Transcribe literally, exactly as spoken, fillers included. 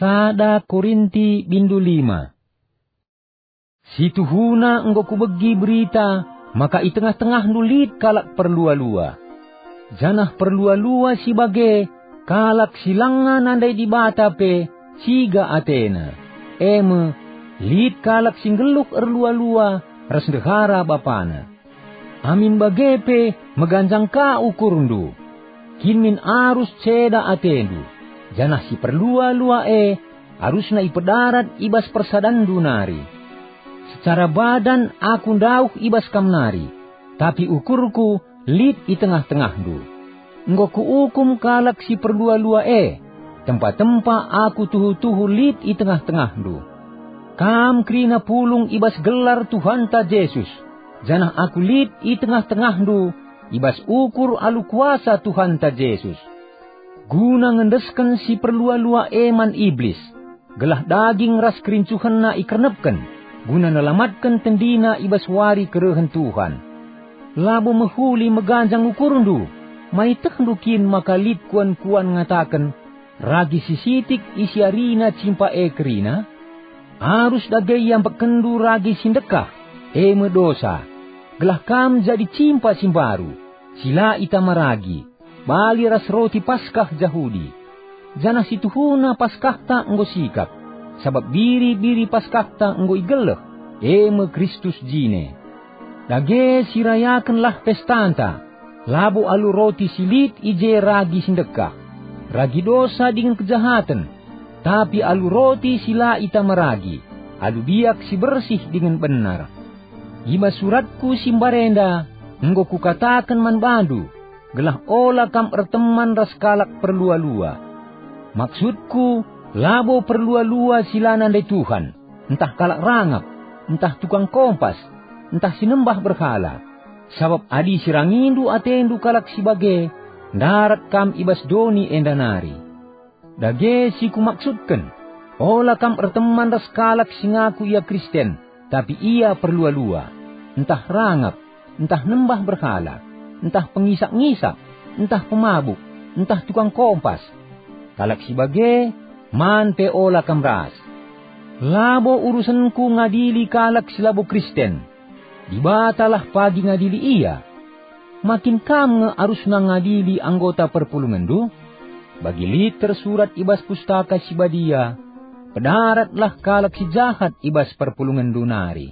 Sada Korinti bindu lima. Situhuna enggo kubegi berita maka i tengah-tengahndu lit kalak perlua-lua. Janah perlua-lua si bage kalak si langa nandai Dibata pe ciga atena, e me, lit kalak si nggeluh erlua-lua ras ndehara bapana. Amin bage pe meganjang ka ukurndu. Kin min arus ceda atendu, janah si perlua-lua e arusna ipedarat i bas persadanndu nari. Secara badan aku ndauh i bas kam nari, tapi ukurku lit i tengah-tengahndu. Enggo kuukum kalak si perlua-lua e, tempa-tempa aku tuhu-tuhu lit i tengah-tengahndu. Kam kerina pulung i bas gelar Tuhanta Jesus, janah aku lit i tengah-tengahndu i bas ukur alu kuasa Tuhanta Jesus. Guna ngendesken si perlua-lua e man Iblis, gelah daging ras kerincuhenna ikernepken, guna nelamatken tendina i bas wari kerehen Tuhan. Labo mehuli meganjang ukurndu, maitehndu kin maka lit kuan-kuan ngataken, ragi si sitik isiarina cimpa e kerina? Arus dage iambekkenndu ragi si ndekah, e me dosa, gelah kam jadi cimpa si mbaru, si la itama ragi, bali ras roti Paskah Jahudi. Janah situhuna Paskahta enggo sikap, sabap biri-biri Paskahta enggo igeleh, e me Kristus jine. Dage sirayakenlah pestanta, labo alu roti si lit i je ragi si ndekah, ragi dosa dingen kejahaten, tapi alu roti si la itama ragi, alu biak si bersih dingen benar. I bas suratku si mbarenda enggo kukataken man bandu, gelah ola kam erteman ras kalak perlua-lua. Maksudku, labo perlua-lua si la nandai Tuhan, ntah kalak rangap, ntah tukang kompas, ntah si nembah berhala. Sabap adi sirangindu atendu kalak si bage, ndarat kam i bas doni enda nari. Dage si kumaksudken, ola kam erteman ras kalak si ngaku ia Kristen, tapi ia perlua-lua, ntah rangap, ntah nembah berhala, ntah pengisak-ngisak, ntah pemabuk, ntah tukang kompas. Kalak si bage, man pe ola kam ras. Labo urusenku ngadili kalak si labo Kristen. Dibatalah pagi ngadili ia. Ma kin kam nge arusna ngadili anggota perpulungenndu? Bagi lit tersurat i bas Pustaka Si Badia, "Pedaratlah kalak si jahat i bas perpulungenndu nari."